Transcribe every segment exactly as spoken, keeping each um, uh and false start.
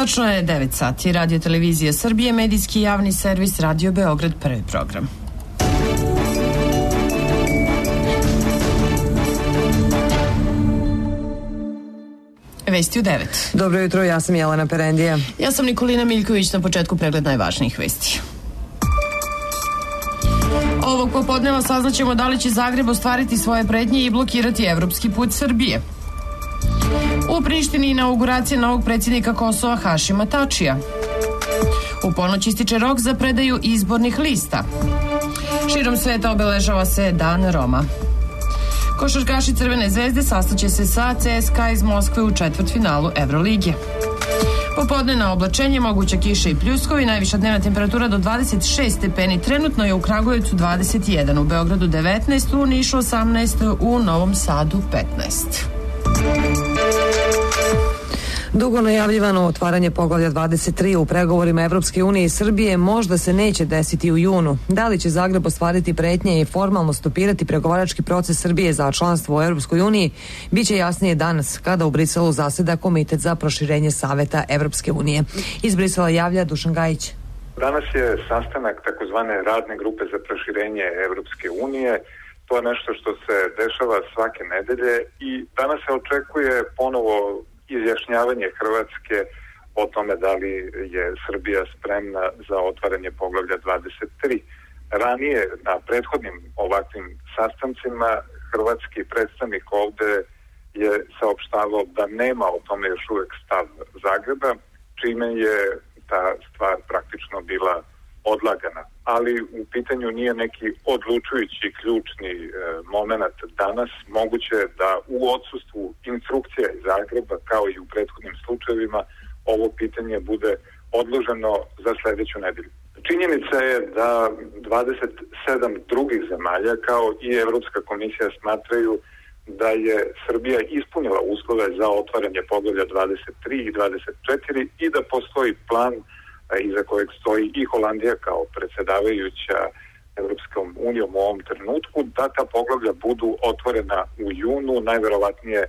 Tačno je devet sati. Radio Televizija Srbije, medijski javni servis Radio Beograd, prvi program. Vesti u devet. Dobro jutro, ja sam Jelena Perendija. Ja sam Nikolina Miljković, na početku pregled najvažnijih vesti. Ovog popodneva saznaćemo da li će Zagreb ostvariti svoje pretnje i blokirati evropski put Srbije. U Prištini inauguracija novog predsjednika Kosova Hašima Tačija. U ponoć ističe rok za predaju izbornih lista. Širom sveta obeležava se Dan Roma. Košarkaši Crvene zvezde sastaće se sa C S K A iz Moskve u četvrtfinalu Evrolige. Popodnevno oblačenje, moguća kiša i pljuskovi, najviša dnevna temperatura do dvadeset šest stepeni, trenutno je u Kragujevcu dvadeset jedan, u Beogradu devetnaest, u Nišu osamnaest, u Novom Sadu petnaest. Dugo najavljivano otvaranje poglavlja dvadeset tri u pregovorima Evropske unije i Srbije možda se neće desiti u junu. Da li će Zagreb ostvariti pretnje i formalno stopirati pregovarački proces Srbije za članstvo u Evropskoj uniji, bit će jasnije danas, kada u Briselu zaseda Komitet za proširenje Saveta Evropske unije. Iz Brisela javlja Dušan Gajić. Danas je sastanak takozvane radne grupe za proširenje Evropske unije. To je nešto što se dešava svake nedelje i danas se očekuje ponovo izjašnjavanje Hrvatske o tome da li je Srbija spremna za otvaranje poglavlja dvadeset tri. Ranije, na prethodnim ovakvim sastancima, hrvatski predstavnik ovde je saopštavao da nema o tome još uvek stav Zagreba, čime je ta stvar praktično bila odlagana. Ali u pitanju nije neki odlučujući ključni e, moment danas. Moguće je da u odsustvu instrukcija iz Zagreba, kao i u prethodnim slučajevima, ovo pitanje bude odloženo za sledeću nedelju. Činjenica je da dvadeset sedam drugih zemalja, kao i Evropska komisija, smatraju da je Srbija ispunila uslove za otvaranje poglavlja dvadeset tri i dvadeset četiri i da postoji plan iza kojeg stoji i Holandija kao predsjedavajuća Evropskom unijom u ovom trenutku, da ta poglavlja budu otvorena u junu, najverovatnije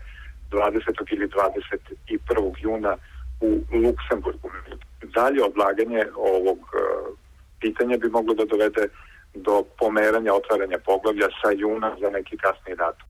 dvadesetog ili dvadeset prvog juna u Luksemburgu. Dalje odlaganje ovog pitanja bi moglo da dovede do pomeranja otvaranja poglavlja sa juna za neki kasni datum.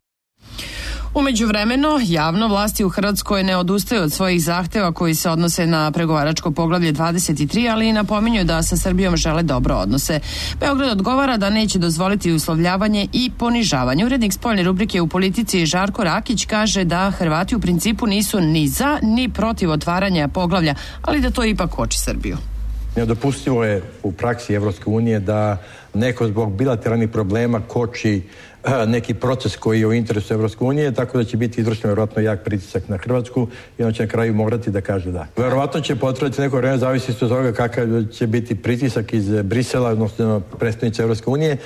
U međuvremenu, javno vlasti u Hrvatskoj ne odustaju od svojih zahteva koji se odnose na pregovaračko poglavlje dvadeset tri, ali i napominju da sa Srbijom žele dobro odnose. Beograd odgovara da neće dozvoliti uslovljavanje i ponižavanje. Urednik spoljne rubrike u Politici Žarko Rakić kaže da Hrvati u principu nisu ni za ni protiv otvaranja poglavlja, ali da to ipak koči Srbiju. Nedopustivo je u praksi Evropske unije da neko zbog bilateralnih problema koči neki proces koji je u interesu Evropske unije, tako da će biti izvršen vjerovatno jak pritisak na Hrvatsku i on će na kraju morati da kaže da. Vjerovatno će potrajati neko vreme, zavisi od toga kakav će biti pritisak iz Brisela, odnosno predstavnice Evropske unije.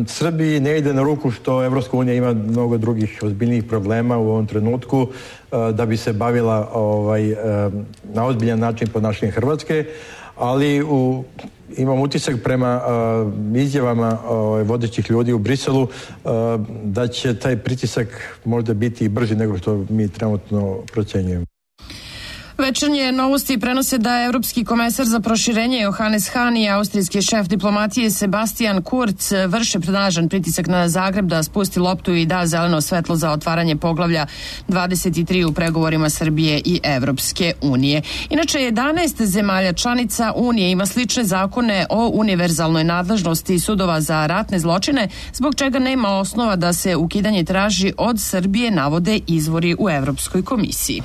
Srbiji ne ide na ruku što Evropska unija ima mnogo drugih ozbiljnijih problema u ovom trenutku da bi se bavila ovaj, na ozbiljan način ponašanjem Hrvatske, ali u imam utisak prema uh, izjavama uh, vodećih ljudi u Briselu uh, da će taj pritisak možda biti i brži nego što mi trenutno procenjujemo. Večernje novosti prenose da Evropski komesar za proširenje Johannes Hahn i austrijski šef diplomatije Sebastian Kurz vrše snažan pritisak na Zagreb da spusti loptu i da zeleno svetlo za otvaranje poglavlja dvadeset tri u pregovorima Srbije i Evropske unije. Inače, jedanaest zemalja članica Unije ima slične zakone o univerzalnoj nadležnosti sudova za ratne zločine, zbog čega nema osnova da se ukidanje traži od Srbije, navode izvori u Evropskoj komisiji.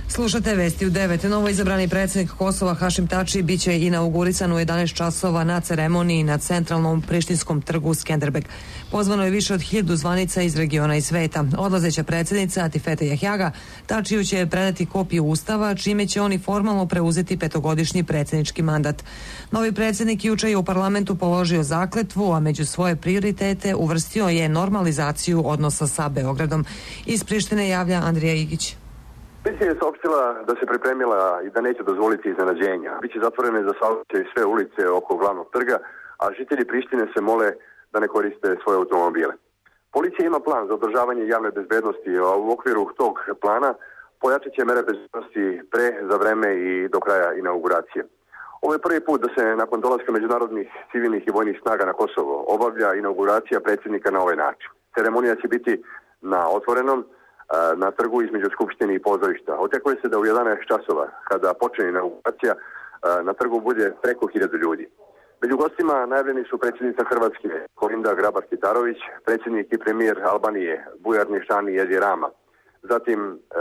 Slušate vesti u devet. Novo izabrani predsjednik Kosova Hašim Tači biće inaugurisan u jedanaest časova na ceremoniji na centralnom prištinskom trgu Skenderbeg. Pozvano je više od hiljadu zvanica iz regiona i sveta. Odlazeća predsjednica Atifete Jahjaga Tačiju će predati kopiju ustava, čime će oni formalno preuzeti petogodišnji predsjednički mandat. Novi predsjednik juče je u parlamentu položio zakletvu, a među svoje prioritete uvrstio je normalizaciju odnosa sa Beogradom. Iz Prištine javlja Andrija Igić. Policija je saopštila da se pripremila i da neće dozvoliti iznenađenja. Biće zatvorene za saobraćaj sve ulice oko glavnog trga, a žitelji Prištine se mole da ne koriste svoje automobile. Policija ima plan za održavanje javne bezbednosti, a u okviru tog plana pojačat će mere bezbednosti pre, za vreme i do kraja inauguracije. Ovo je prvi put da se nakon dolaska međunarodnih civilnih i vojnih snaga na Kosovo obavlja inauguracija predsjednika na ovaj način. Ceremonija će biti na otvorenom, na trgu između Skupštine i pozorišta. Očekuje se da u jedanaest časova, kada počne inauguracija, na trgu bude preko hiljadu ljudi. Među gostima najavljeni su predsjednica Hrvatske Kolinda Grabar-Kitarović, predsjednik i premijer Albanije Bujar Nišani Edi Rama, zatim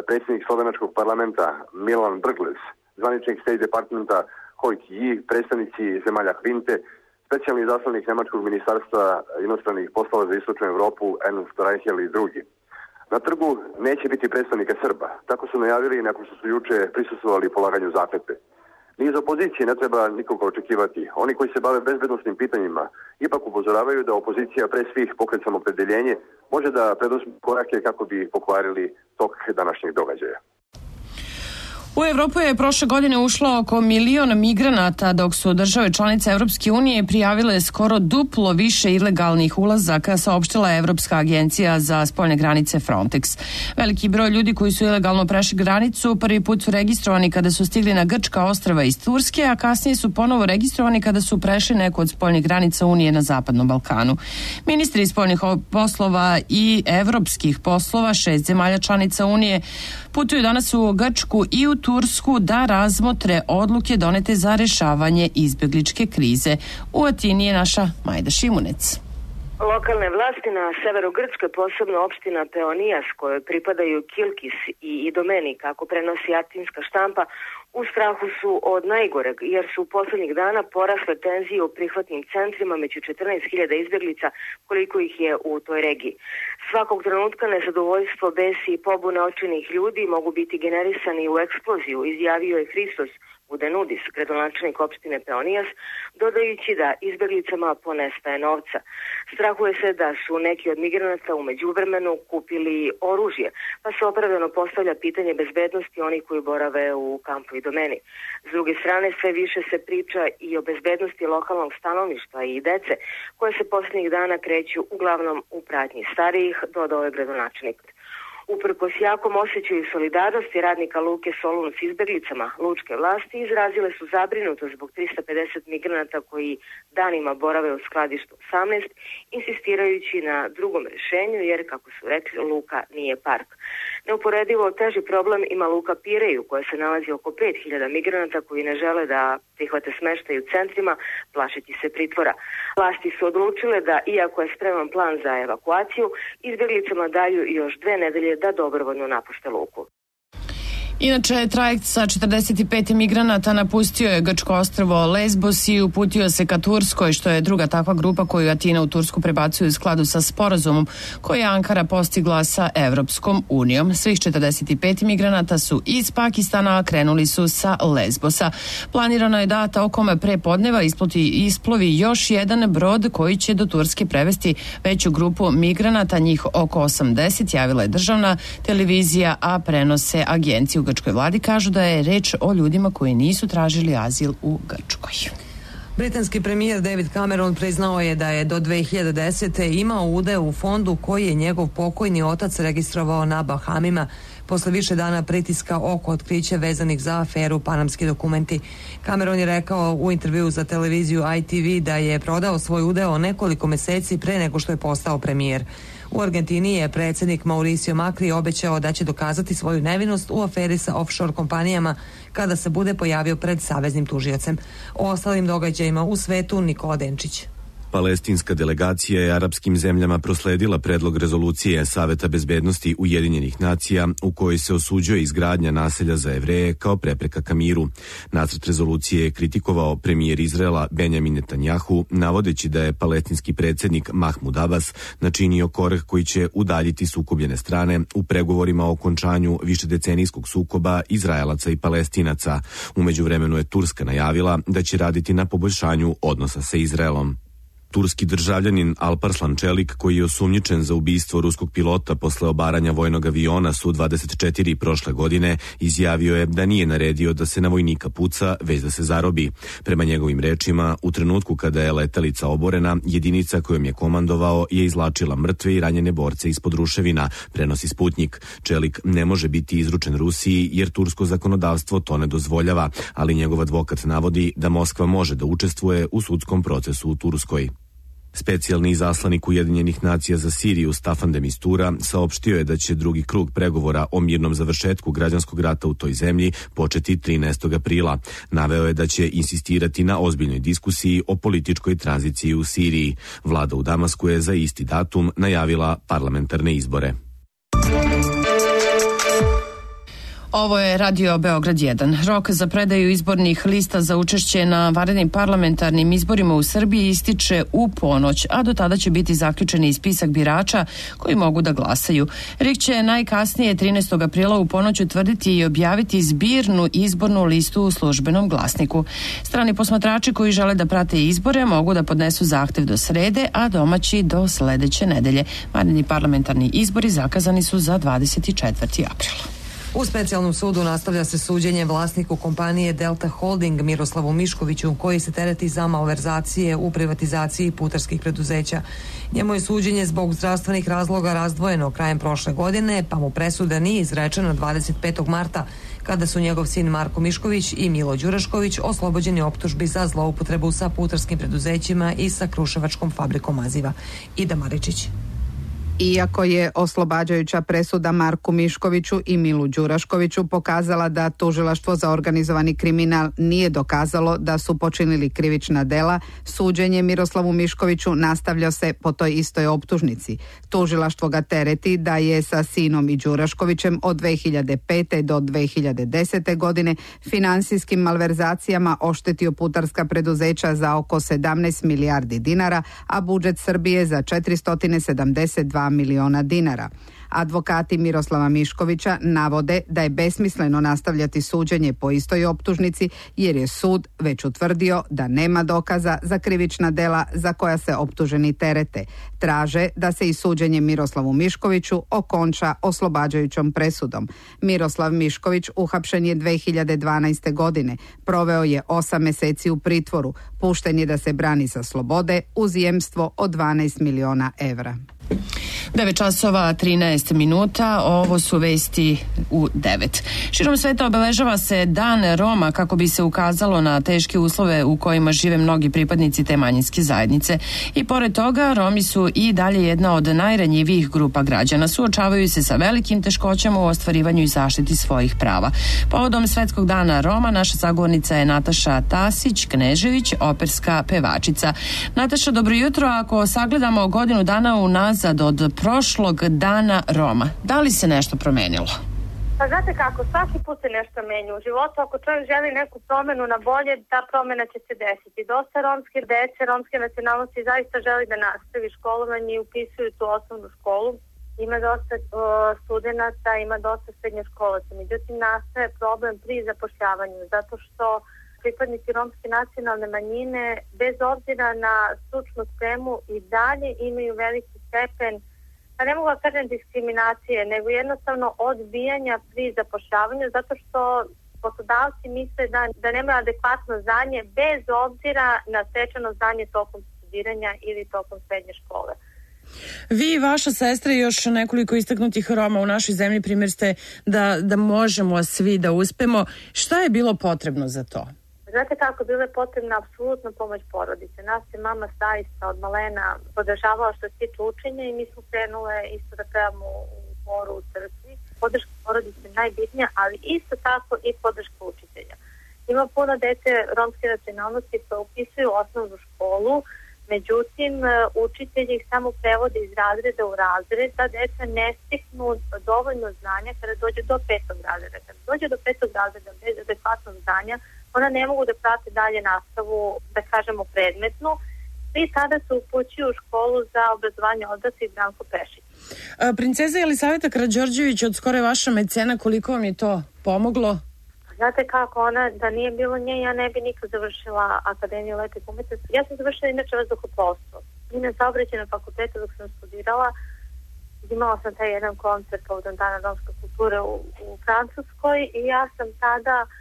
predsjednik Slovenačkog parlamenta Milan Brglez, zvaničnik State Departmenta Hojk Ji, predstavnici zemalja Kvinte, specijalni zaslanik Nemačkog ministarstva inostranih poslova za istočnu Europu Ernst Reichel i drugi. Na trgu neće biti predstavnika Srba, tako su najavili nakon što su juče prisustvovali polaganju zakletve. Ni iz opozicije ne treba nikoga očekivati. Oni koji se bave bezbednosnim pitanjima ipak upozoravaju da opozicija pre svih pokret Samoopredjeljenje može da preduzme korake kako bi pokvarili tok današnjeg događaja. U Evropu je prošle godine ušlo oko milion migranata, dok su države članice Evropske unije prijavile skoro duplo više ilegalnih ulazaka, saopštila Evropska agencija za spoljne granice Frontex. Veliki broj ljudi koji su ilegalno prešli granicu prvi put su registrovani kada su stigli na grčka ostrva iz Turske, a kasnije su ponovo registrovani kada su prešli neku od spoljnih granica Unije na Zapadnom Balkanu. Ministri spoljnih poslova i evropskih poslova šest zemalja članica Unije putuju danas u Grčku i u Tursku da razmotre odluke donete za rešavanje izbjegličke krize. U Atini je naša Majda Šimunec. Lokalne vlasti na severu Grčke, posebno opština Peonijas, kojoj pripadaju Kilkis i Idomeni, kako prenosi atinska štampa, u strahu su od najgoreg, jer su poslednjih dana porasle tenzije u prihvatnim centrima među četrnaest hiljada izbjeglica, koliko ih je u toj regiji. Svakog trenutka nezadovoljstvo, besi i pobune očajnih ljudi mogu biti generisani u eksploziju, izjavio je Hristos Budenudis, gradonačelnik opštine Peonijas, dodajući da izbjeglicama ponestaje novca. Strahuje se da su neki od migranata u međuvremenu kupili oružje, pa se opravdano postavlja pitanje bezbednosti onih koji borave u kampu Idomeni. S druge strane, sve više se priča i o bezbednosti lokalnog stanovništva i dece, koje se posljednjih dana kreću uglavnom u pratnji starijih, dodao je gradonačelnik. Uprkos jakom osjećaju solidarnosti radnika Luke Solun s izbjeglicama, lučke vlasti izrazile su zabrinutost zbog trista pedeset migranata koji danima borave u skladištu osamnaest, insistirajući na drugom rješenju jer, kako su rekli, luka nije park. Neuporedivo teži problem ima luka Pireju, koja se nalazi oko pet hiljada migranata koji ne žele da prihvate smeštaj u centrima, plašeći se pritvora. Vlasti su odlučile da, iako je spreman plan za evakuaciju, izbjeglicama daju još dve nedelje da dobrovoljno napušte luku. Inače, trajekt sa četrdeset pet migranata napustio je grčko ostrvo Lesbos i uputio se ka Turskoj, što je druga takva grupa koju Atina u Tursku prebacuje u skladu sa sporazumom koji je Ankara postigla sa Evropskom unijom. Svih četrdeset pet migranata su iz Pakistana, a krenuli su sa Lesbosa. Planirano je da tokom pre podneva isploti, isplovi još jedan brod koji će do Turske prevesti veću grupu migranata, njih oko osamdeset, javila je državna televizija, a prenose agenciju u grčkoj vladi kažu da je reč o ljudima koji nisu tražili azil u Grčkoj. Britanski premijer David Cameron priznao je da je do dve hiljade desete. imao udeo u fondu koji je njegov pokojni otac registrovao na Bahamima posle više dana pritiska oko otkrića vezanih za aferu Panamski dokumenti. Cameron je rekao u intervju za televiziju I T V da je prodao svoj udeo nekoliko meseci pre nego što je postao premijer. U Argentini je predsjednik Mauricio Macri obećao da će dokazati svoju nevinost u aferi sa offshore kompanijama kada se bude pojavio pred saveznim tužiocem. O ostalim događajima u svetu Nikola Denčić. Palestinska delegacija je arapskim zemljama prosledila predlog rezolucije Saveta bezbednosti Ujedinjenih nacija u kojoj se osuđuje izgradnja naselja za Jevreje kao prepreka ka miru. Nacrt rezolucije je kritikovao premijer Izraela Benjamin Netanjahu, navodeći da je palestinski predsjednik Mahmud Abbas načinio korak koji će udaljiti sukobljene strane u pregovorima o okončanju višedecenijskog sukoba Izraelaca i Palestinaca. U međuvremenu je Turska najavila da će raditi na poboljšanju odnosa sa Izraelom. Turski državljanin Alparslan Čelik, koji je osumnjičen za ubistvo ruskog pilota posle obaranja vojnog aviona Su dvadeset četiri prošle godine, izjavio je da nije naredio da se na vojnika puca, već da se zarobi. Prema njegovim rečima, u trenutku kada je letelica oborena, jedinica kojom je komandovao je izvlačila mrtve i ranjene borce ispod ruševina, prenosi Sputnjik. Čelik ne može biti izručen Rusiji jer tursko zakonodavstvo to ne dozvoljava, ali njegov advokat navodi da Moskva može da učestvuje u sudskom procesu u Turskoj. Specijalni izaslanik Ujedinjenih nacija za Siriju Staffan de Mistura saopštio je da će drugi krug pregovora o mirnom završetku građanskog rata u toj zemlji početi trinaestog aprila. Naveo je da će insistirati na ozbiljnoj diskusiji o političkoj tranziciji u Siriji. Vlada u Damasku je za isti datum najavila parlamentarne izbore. Ovo je Radio Beograd jedan. Rok za predaju izbornih lista za učešće na vanrednim parlamentarnim izborima u Srbiji ističe u ponoć, a do tada će biti zaključeni i spisak birača koji mogu da glasaju. R I K će najkasnije trinaestog aprila u ponoć utvrditi i objaviti zbirnu izbornu listu u službenom glasniku. Strani posmatrači koji žele da prate izbore mogu da podnesu zahtev do srede, a domaći do sledeće nedelje. Vanredni parlamentarni izbori zakazani su za dvadeset četvrtog aprila. U specijalnom sudu nastavlja se suđenje vlasniku kompanije Delta Holding Miroslavu Miškoviću, koji se tereti za malverzacije u privatizaciji putarskih preduzeća. Njemu je suđenje zbog zdravstvenih razloga razdvojeno krajem prošle godine, pa mu presuda nije izrečena dvadeset petog marta, kada su njegov sin Marko Mišković i Milo Đurašković oslobođeni optužbi za zloupotrebu sa putarskim preduzećima i sa kruševačkom fabrikom maziva. Ida Maričić. Iako je oslobađajuća presuda Marku Miškoviću i Milu Đuraškoviću pokazala da tužilaštvo za organizovani kriminal nije dokazalo da su počinili krivična dela, suđenje Miroslavu Miškoviću nastavlja se po toj istoj optužnici. Tužilaštvo ga tereti da je sa sinom i Đuraškovićem od dve hiljade pete do dve hiljade desete godine finansijskim malverzacijama oštetio putarska preduzeća za oko sedamnaest milijardi dinara, a budžet Srbije za četiristo sedamdeset dva miliona dinara. Advokati Miroslava Miškovića navode da je besmisleno nastavljati suđenje po istoj optužnici jer je sud već utvrdio da nema dokaza za krivična dela za koja se optuženi terete. Traže da se i suđenje Miroslavu Miškoviću okonča oslobađajućom presudom. Miroslav Mišković uhapšen je dve hiljade dvanaeste. godine. Proveo je osam meseci u pritvoru. Pušten je da se brani sa slobode uz jemstvo od dvanaest miliona evra. devet časova trinaest minuta, ovo su vesti u devet. Širom sveta obeležava se Dan Roma kako bi se ukazalo na teške uslove u kojima žive mnogi pripadnici te manjinske zajednice. I pored toga, Romi su i dalje jedna od najranjivijih grupa građana. Suočavaju se sa velikim teškoćama u ostvarivanju i zaštiti svojih prava. Povodom Svetskog dana Roma, naša sagovornica je Nataša Tasić-Knežević, operska pevačica. Nataša, dobro jutro. Ako sagledamo godinu dana unazad od prošlog dana Roma, da li se nešto promenilo? Pa znate kako, svaki put se nešto menja u životu. Ako čovjek želi neku promenu na bolje, ta promena će se desiti. Dosta romske dece, romske nacionalnosti zaista želi da nastavi školovanje i upisuju tu osnovnu školu. Ima dosta uh, studenata, ima dosta srednjoškolaca. Međutim, nastaje problem pri zapošljavanju, zato što pripadnici romske nacionalne manjine, bez obzira na stručnu spremu, i dalje imaju veliki stepen, pa ne mogu da kažem diskriminacije, nego jednostavno odbijanja pri zapošljavanju, zato što poslodavci misle da, da nemaju adekvatno znanje bez obzira na stečeno znanje tokom studiranja ili tokom srednje škole. Vi i vaša sestra i još nekoliko istaknutih Roma u našoj zemlji primjer ste da, da možemo svi da uspemo. Šta je bilo potrebno za to? Znate kako, bila je potrebna apsolutno pomoć porodice. Nas je mama zaista od malena podržavala što se tiče učenja i mi smo krenule isto da pevamo u horu u crkvi. Podrška porodice je najbitnija, ali isto tako i podrška učitelja. Ima puno dece romske nacionalnosti koje upisuju osnovnu školu, međutim učitelji ih samo prevode iz razreda u razred, da deca ne steknu dovoljno znanja kada dođe do petog razreda. Kada dođe do petog razreda bez adekvatnog znanja, ona ne mogu da prate dalje nastavu, da kažemo, predmetnu, i tada se upućuju u školu za obrazovanje odraslih Branko Pešić. Princeza Jelisaveta Karađorđević od skoro je vaša mecena, koliko vam je to pomoglo? Znate kako, ona, da nije bilo nje, ja ne bi nikad završila Akademiju letih umetnosti. Ja sam završila inače vazduhoplovstvo. I na saobraćajnom fakultetu dok sam studirala, imala sam taj jedan koncert povodom Dana romske kulture u, u Francuskoj i ja sam tada uh,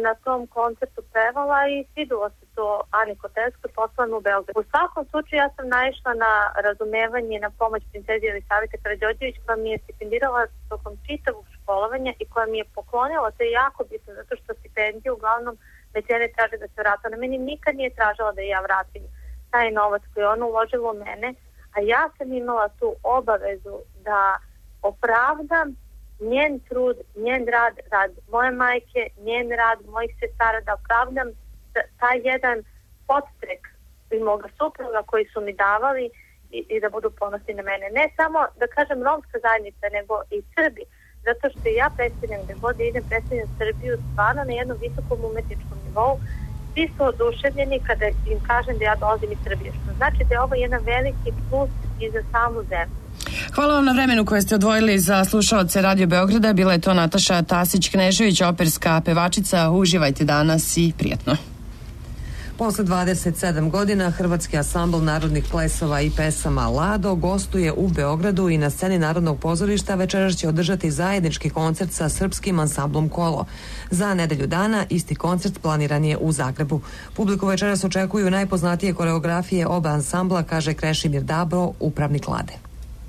na tom koncertu pevala i svidilo se to Ani Kotelskoj, poslano u Beogradu. U svakom slučaju ja sam naišla na razumevanje i na pomoć princezi Jelisavete Karađorđević, koja mi je stipendirala tokom čitavog školovanja i koja mi je poklonila, to je jako bitno, zato što stipendije uglavnom mecene traže da se vrata. Ona meni nikad nije tražila da ja vratim taj novac koji je ona uložila u mene, a ja sam imala tu obavezu da opravdam njen trud, njen rad, rad moje majke, njen rad mojih sestara, da opravdam taj jedan podstrek i moga supruga koji su mi davali i, i da budu ponosni na mene. Ne samo, da kažem, romska zajednica, nego i Srbi. Zato što ja predstavljam, gde god idem, predstavljam Srbiju stvarno na jednom visokom umetničkom nivou. Svi su oduševljeni kada im kažem da ja dolazim iz Srbije. Što znači da je ovo jedan veliki plus i za samu zemlju. Hvala vam na vremenu koje ste odvojili za slušaoce Radio Beograda. Bila je to Nataša Tasić-Knežević, operska pevačica. Uživajte danas i prijatno. Posle dvadeset sedam godina Hrvatski ansambl narodnih plesova i pesama Lado gostuje u Beogradu i na sceni Narodnog pozorišta večeras će održati zajednički koncert sa srpskim ansamblom Kolo. Za nedelju dana isti koncert planiran je u Zagrebu. Publiku večeras očekuju najpoznatije koreografije oba ansambla, kaže Krešimir Dabro, upravnik Lade.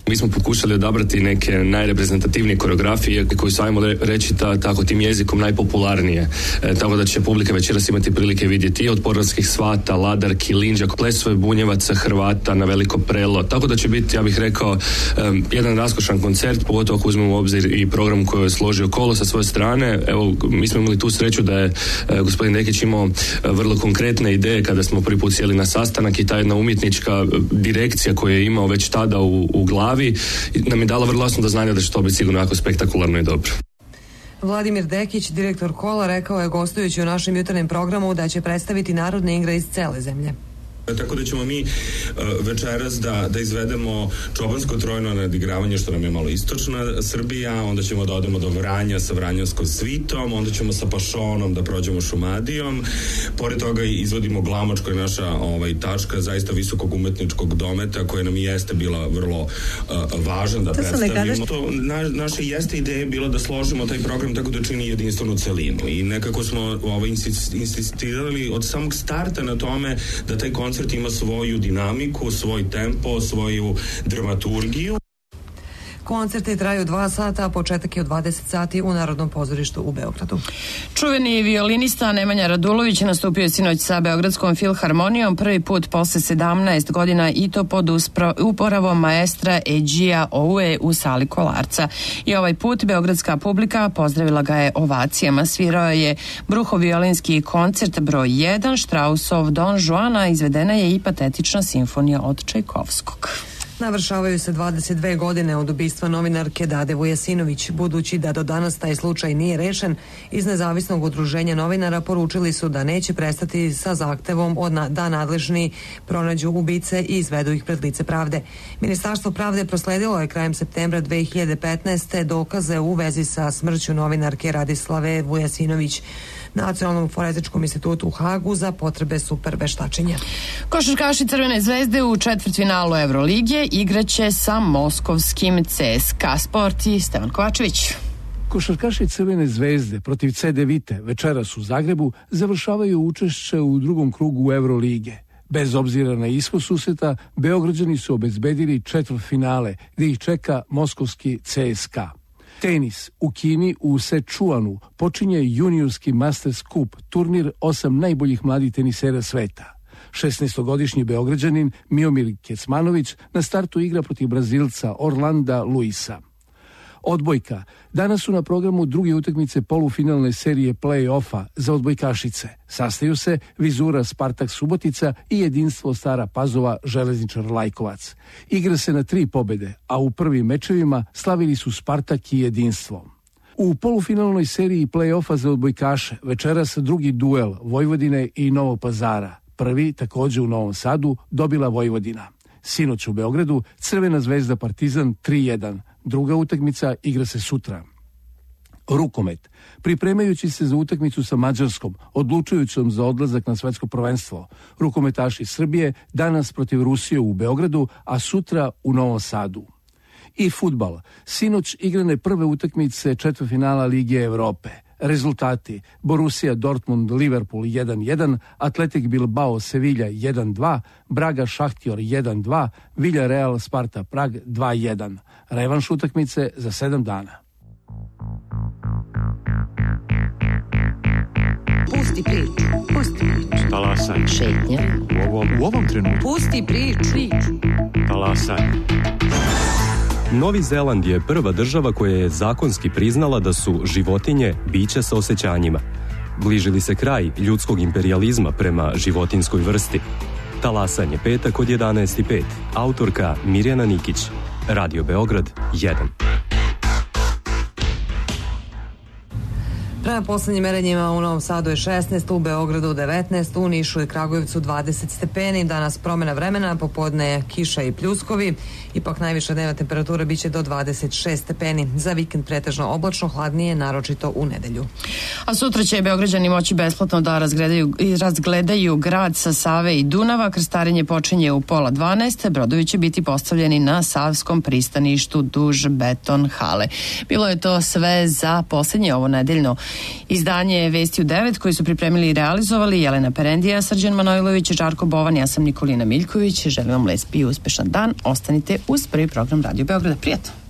Mi smo pokušali odabrati neke najreprezentativnije koreografije koje su, ajmo reći, ta, tako tim jezikom najpopularnije. E, tako da će publika večeras imati prilike vidjeti i od Podravskih svata, Ladarki, Linđa, plesove Bunjevaca, Hrvata na Veliko Prelo. Tako da će biti, ja bih rekao, um, jedan raskošan koncert, pogotovo ako uzmemo u obzir i program koji je složio Kolo sa svoje strane. Evo, mi smo imali tu sreću da je e, gospodin Dekić imao e, vrlo konkretne ideje kada smo prvi put sjeli na sastanak i ta jedna umjetnička direkcija koju je imao već tada u, u glavi nam je dala vrlo jasno da znanja da će to biti sigurno jako spektakularno i dobro. Vladimir Dekić, direktor Kola, rekao je gostujući u našem jutarnjem programu da će predstaviti narodne igre iz cele zemlje. Tako da ćemo mi uh, večeras da, da izvedemo čobansko trojno nadigravanje, što nam je malo istočna Srbija, onda ćemo da odemo do Vranja sa Vranjavskom svitom, onda ćemo sa Pašonom da prođemo Šumadijom, pored toga izvodimo Glamoč, koja je naša ovaj, tačka zaista visokog umetničkog dometa, koja nam i jeste bila vrlo uh, važan da to predstavimo. To, na, naša jeste ideja bila da složimo taj program tako da čini jedinstvenu celinu i nekako smo ovaj, insistirali od samog starta na tome da taj koncert koncert ima svoju dinamiku, svoj tempo, svoju dramaturgiju. Koncerti traju dva sata, a početak je od dvadeset sati u Narodnom pozorištu u Beogradu. Čuveni violinista Nemanja Radulović nastupio je sinoć sa Beogradskom filharmonijom prvi put posle sedamnaest godina i to pod uporavom maestra Eđija Oue u sali Kolarca. I ovaj put beogradska publika pozdravila ga je ovacijama. Svirao je bruhoviolinski koncert broj jedan, Štrausov Don Juana, izvedena je i patetična simfonija od Čajkovskog. Navršavaju se dvadeset dve godine od ubistva novinarke Dade Vujasinović. Budući da do danas taj slučaj nije rešen, iz nezavisnog udruženja novinara poručili su da neće prestati sa zahtevom od na, da nadležni pronađu ubice i izvedu ih pred lice pravde. Ministarstvo pravde prosledilo je krajem septembra dve hiljade petnaeste. dokaze u vezi sa smrću novinarke Radislave Vujasinović Nacionalnom forenzičkom institutu u Hagu za potrebe super veštačenja. Košarkaši Crvene zvezde u četvrtfinalu Evrolige igraće sa moskovskim C S K A. Sport i Stevan Kovačević. Košarkaši Crvene zvezde protiv C D Vite večeras u Zagrebu završavaju učešće u drugom krugu Evrolige. Bez obzira na ishod susreta, Beograđani su obezbedili četvrtfinale gdje ih čeka moskovski C S K A. Tenis. U Kini u Sečuanu počinje juniorski Masters Cup, turnir osam najboljih mladih tenisera sveta. šesnaestogodišnji Beograđanin Miomir Kecmanović na startu igra protiv Brazilca Orlanda Luisa. Odbojka. Danas su na programu druge utakmice polufinalne serije play-offa za odbojkašice. Sastaju se Vizura Spartak Subotica i Jedinstvo Stara Pazova Železničar Lajkovac. Igra se na tri pobede, a u prvim mečevima slavili su Spartak i Jedinstvo. U polufinalnoj seriji play-offa za odbojkaše večeras drugi duel Vojvodine i Novog Pazara. Prvi, također u Novom Sadu, dobila Vojvodina. Sinoć u Beogradu Crvena zvezda Partizan tri jedan. Druga utakmica igra se sutra. Rukomet. Pripremajući se za utakmicu sa Mađarskom, odlučujućom za odlazak na svetsko prvenstvo, rukometaši Srbije danas protiv Rusije u Beogradu, a sutra u Novom Sadu. I fudbal. Sinoć igrane prve utakmice četvrtfinala Lige Evrope. Rezultati: Borussia Dortmund Liverpool jedan jedan, Atletik Bilbao Sevilla jedan dva, Braga Šahtjor jedan dva, Villarreal Sparta Prag dva jedan. Revanš utakmice za sedam dana. Pusti priču, pusti priču. Talasaj. Šetnja. U ovom, u ovom trenutku. Pusti priču. Talasaj. Novi Zeland je prva država koja je zakonski priznala da su životinje bića sa osjećanjima. Bliži li se kraj ljudskog imperijalizma prema životinskoj vrsti? Talasanje, petak od jedanaest i pet. Autorka Mirjana Nikić. Radio Beograd jedan. Prema poslednjim merenjima u Novom Sadu je šesnaest, u Beogradu devetnaest, u Nišu i Kragujevcu dvadeset stepeni. Danas promena vremena, popodne je kiša i pljuskovi. Ipak najviša dnevna temperatura biće do dvadeset šest stepeni. Za vikend pretežno oblačno, hladnije, naročito u nedelju. A sutra će Beograđani moći besplatno da razgledaju, razgledaju grad sa Save i Dunava. Krstarenje počinje u pola dvanaest. Brodovi će biti postavljeni na Savskom pristaništu duž beton hale. Bilo je to sve za posljednje ovo nedeljno izdanje Vesti u devet koji su pripremili i realizovali Jelena Perendija, Srđan Manojlović, Žarko Bovan, ja sam Nikolina Miljković. Želim vam lespi i uspešan dan. Ostanite uz prvi program Radio Beograda. Prijatno!